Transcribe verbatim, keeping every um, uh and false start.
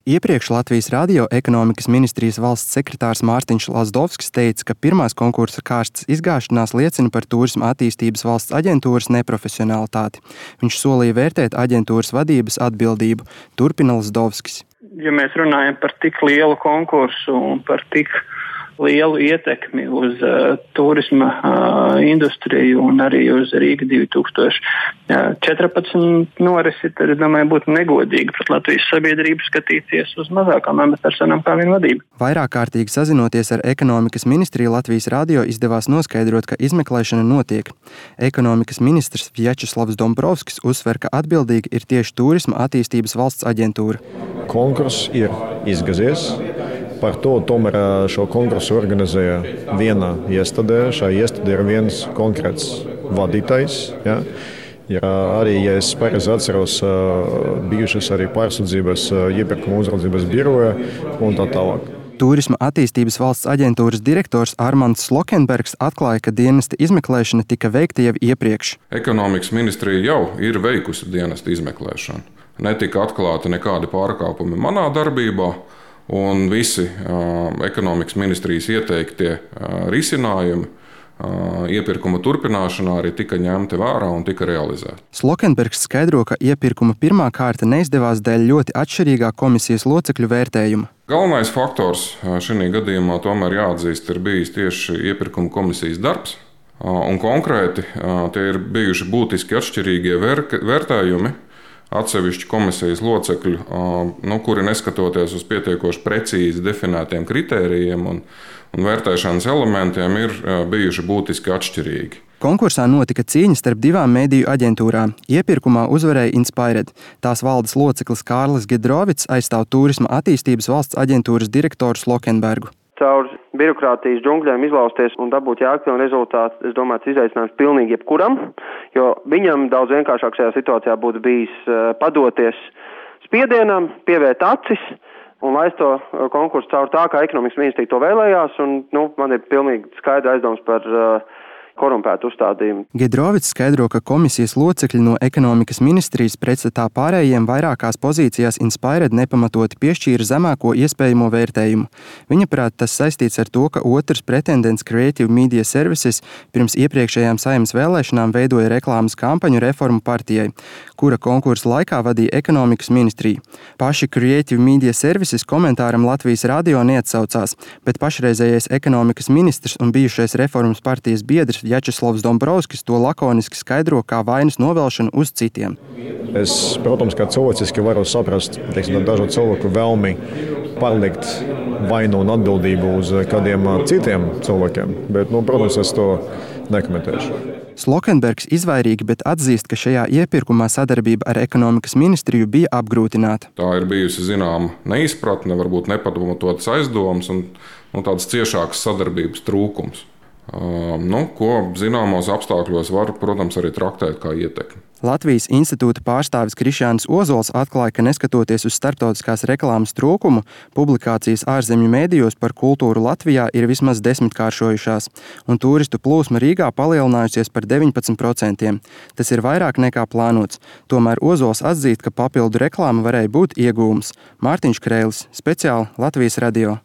Iepriekš Latvijas Radio ekonomikas ministrijas valsts sekretārs Mārtiņš Lazdovskis teica, ka pirmās konkursa kārtas izgāšanās liecina par Tūrisma attīstības valsts aģentūras neprofesionalitāti. Viņš solīja vērtēt aģentūras vadības atbildību. Turpina Lazdovskis. Ja mēs runājam par tik lielu konkursu un par tik lielu ietekmi uz uh, turisma uh, industriju un arī uz Rīga divi tūkstoši četrpadsmit norisi, tad, es domāju, būtu negodīgi pret Latvijas sabiedrību skatīties uz mazākām amatpersonām kā viena vadība. Vairāk kārtīgi sazinoties ar ekonomikas ministriju, Latvijas Radio izdevās noskaidrot, ka izmeklēšana notiek. Ekonomikas ministrs Vjačeslavs Dombrovskis uzsver, ka atbildīga ir tieši Tūrisma attīstības valsts aģentūra. Konkurss ir izgazies. Par to tomēr šo konkursu organizēja viena iestādē. Šā iestādē ir viens konkrēts vadītājs. Ja? Ir arī, ja es pareizi atceros, bijušas arī pārsūdzības iepirkuma uzraudzības biroja un tā tālāk. Tūrisma attīstības valsts aģentūras direktors Armands Slokenbergs atklāja, ka dienesta izmeklēšana tika veikta jau iepriekš. Ekonomikas ministrija jau ir veikusi dienesta izmeklēšanu. Netika atklāti nekādi pārkāpumi manā darbībā. Un visi uh, ekonomikas ministrijas ieteiktie uh, risinājumi uh, iepirkuma turpināšanā arī tika ņemti vērā un tika realizēti. Slokenbergs skaidro, ka iepirkuma pirmā kārta neizdevās dēļ ļoti atšķirīgā komisijas locekļu vērtējuma. Galvenais faktors šī gadījumā tomēr jāatzīst ir bijis tieši iepirkuma komisijas darbs. Uh, un konkrēti uh, tie ir bijuši būtiski atšķirīgie vērk- vērtējumi. Atsevišķi komisijas locekļu, nu, kuri neskatoties uz pietiekoši precīzi definētiem kritērijiem un, un vērtēšanas elementiem, ir bijuši būtiski atšķirīgi. Konkursā notika cīņa starp divām mediju aģentūrām. Iepirkumā uzvarēja Inspired. Tās valdes loceklis Kārlis Giedrovics aizstāv Tūrisma attīstības valsts aģentūras direktoru Slokenbergu. Caur birokrātijas džungļiem izlausties un dabūt jēgpilnu rezultātu, es domāju, tas izaicinājums pilnīgi jebkuram, jo viņam daudz vienkāršāk šajā situācijā būtu bijis padoties spiedienam, pievērt acis un laist to konkursu caur tā, kā ekonomikas ministrija to vēlējās, un nu, man ir pilnīgi skaidri aizdoms par uh, korumpētu uzstādījumu. Giedrovics skaidro, ka komisijas locekļi no ekonomikas ministrijas pretstatā pārējiem vairākās pozīcijās Inspired nepamatoti piešķīra zemāko iespējamo vērtējumu. Viņa prāt, tas saistīts ar to, ka otrs pretendents Creative Media Services pirms iepriekšējām Saeimas vēlēšanām veidoja reklāmas kampaņu Reformu partijai, kura konkursa laikā vadīja ekonomikas ministrija. Paši Creative Media Services komentāram Latvijas Radio neatsaucās, bet pašreizējais ekonomikas ministrs un bijušais Reformas partijas biedrs Vjačeslavs Dombrovskis to lakoniski skaidro kā vainas novelšanu uz citiem. Es, protams, kā cilvēciski varu saprast, teiksim, dažu cilvēku vēlmi pārlikt vainu un atbildību uz kādiem citiem cilvēkiem, bet, nu, protams, es to nekomentēšu. Slokenbergs izvairīgi, bet atzīst, ka šajā iepirkumā sadarbība ar ekonomikas ministriju bija apgrūtināta. Tā ir bijusi zināma neizpratne, varbūt nepamatotas aizdomas un nu, tādas ciešākas sadarbības trūkums. Uh, nu, ko zināmos apstākļos var, protams, arī traktēt kā ietekmi. Latvijas institūta pārstāvis Krišjānis Ozols atklāja, ka neskatoties uz starptautiskās reklāmas trūkumu, publikācijas ārzemju mēdījos par kultūru Latvijā ir vismaz desmitkāršojušās, un turistu plūsma Rīgā palielinājusies par deviņpadsmit procentiem. Tas ir vairāk nekā plānots. Tomēr Ozols atzīst, ka papildu reklāma varēja būt iegūms. Mārtiņš Kreilis, speciāli Latvijas Radio.